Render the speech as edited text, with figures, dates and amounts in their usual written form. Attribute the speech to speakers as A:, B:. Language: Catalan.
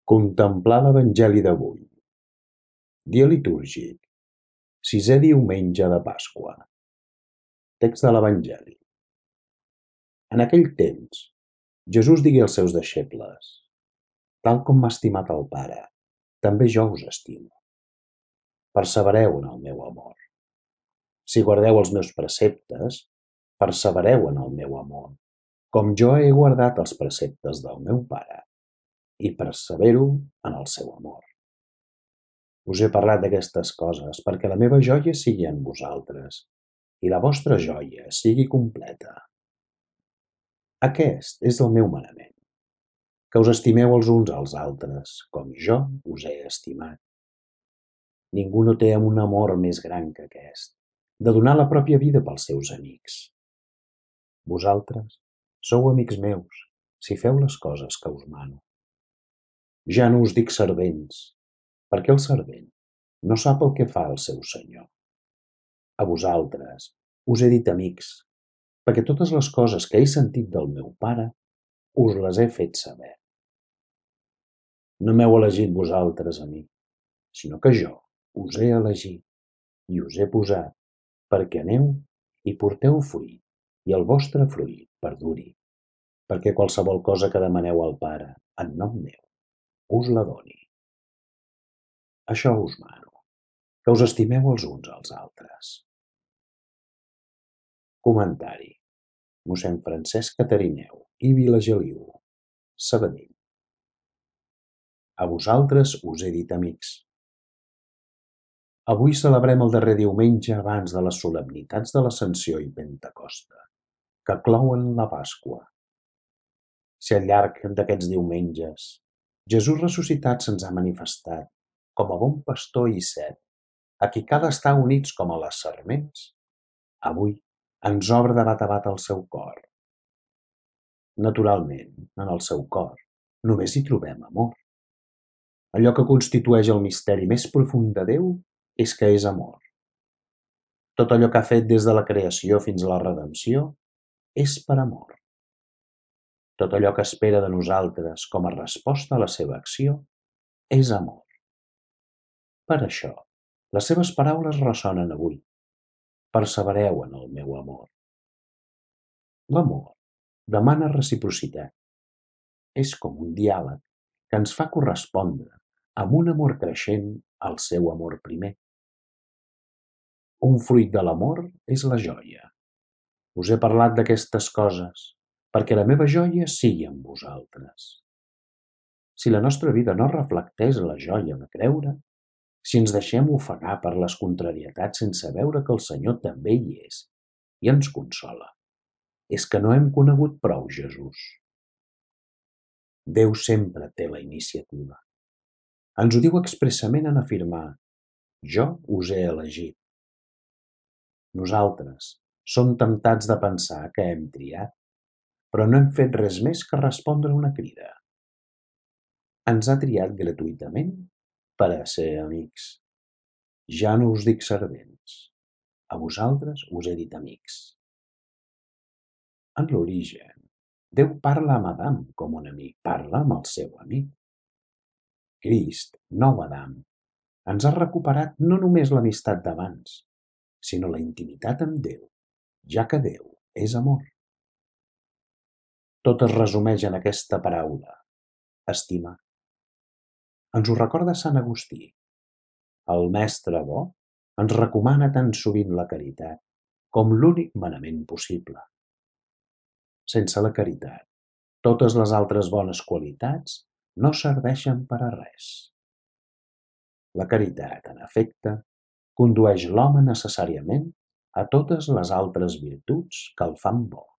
A: Contemplar l'Evangeli d'avui. Dia litúrgic. Sisè diumenge de Pasqua. Text de l'Evangeli. En aquell temps, Jesús digué als seus deixebles: Tal com m'ha estimat el Pare, també jo us estimo. Persevereu en el meu amor. Si guardeu els meus preceptes, persevereu en el meu amor, com jo he guardat els preceptes del meu Pare, i persevero en el seu amor. Us he parlat d'aquestes coses perquè la meva joia sigui en vosaltres i la vostra joia sigui completa. Aquest és el meu manament, que us estimeu els uns als altres, com jo us he estimat. Ningú no té un amor més gran que aquest, de donar la pròpia vida pels seus amics. Vosaltres sou amics meus si feu les coses que us mano. Ja no us dic servents, perquè el servent no sap el que fa el seu senyor. A vosaltres us he dit amics, perquè totes les coses que he sentit del meu Pare us les he fet saber. No m'heu elegit vosaltres a mi, sinó que jo us he elegit i us he posat perquè aneu i porteu fruit i el vostre fruit perduri, perquè qualsevol cosa que demaneu al Pare en nom meu us la doni. Això us mano, que us estimeu els uns als altres. Comentari. Mossèn Francesc Catarineu i Vilageliu, Sabadell. A vosaltres us he dit amics. Avui celebrem el darrer diumenge abans de les solemnitats de l'Ascensió i Pentecosta, que clouen la Pasqua. Si al llarg d'aquests diumenges Jesús ressuscitat se'ns ha manifestat com a bon pastor i cep, a qui cal estar units com a les sarments, avui ens obre de bat a bat el seu cor. Naturalment, en el seu cor només hi trobem amor. Allò que constitueix el misteri més profund de Déu és que és amor. Tot allò que ha fet des de la creació fins a la redempció és per amor. Tot allò que espera de nosaltres com a resposta a la seva acció és amor. Per això, les seves paraules ressonen avui. Persevereu en el meu amor. L'amor demana reciprocitat. És com un diàleg que ens fa correspondre amb un amor creixent al seu amor primer. Un fruit de l'amor és la joia. Us he parlat d'aquestes coses perquè la meva joia sigui en vosaltres. Si la nostra vida no reflecteix la joia de creure, si ens deixem ofegar per les contrarietats sense veure que el Senyor també hi és i ens consola, és que no hem conegut prou Jesús. Déu sempre té la iniciativa. Ens ho diu expressament en afirmar: jo us he elegit. Nosaltres som temptats de pensar que hem triat, però no hem fet res més que respondre una crida. Ens ha triat gratuïtament per a ser amics. Ja no us dic servents, a vosaltres us he dit amics. En l'origen, Déu parla amb Adam com un amic, parla amb el seu amic. Crist, nou Adam, ens ha recuperat no només l'amistat d'abans, sinó la intimitat amb Déu, ja que Déu és amor. Tot es resumeix en aquesta paraula: estimar. Ens ho recorda Sant Agustí. El mestre bo ens recomana tan sovint la caritat com l'únic manament possible. Sense la caritat, totes les altres bones qualitats no serveixen per a res. La caritat, en efecte, condueix l'home necessàriament a totes les altres virtuts que el fan bo.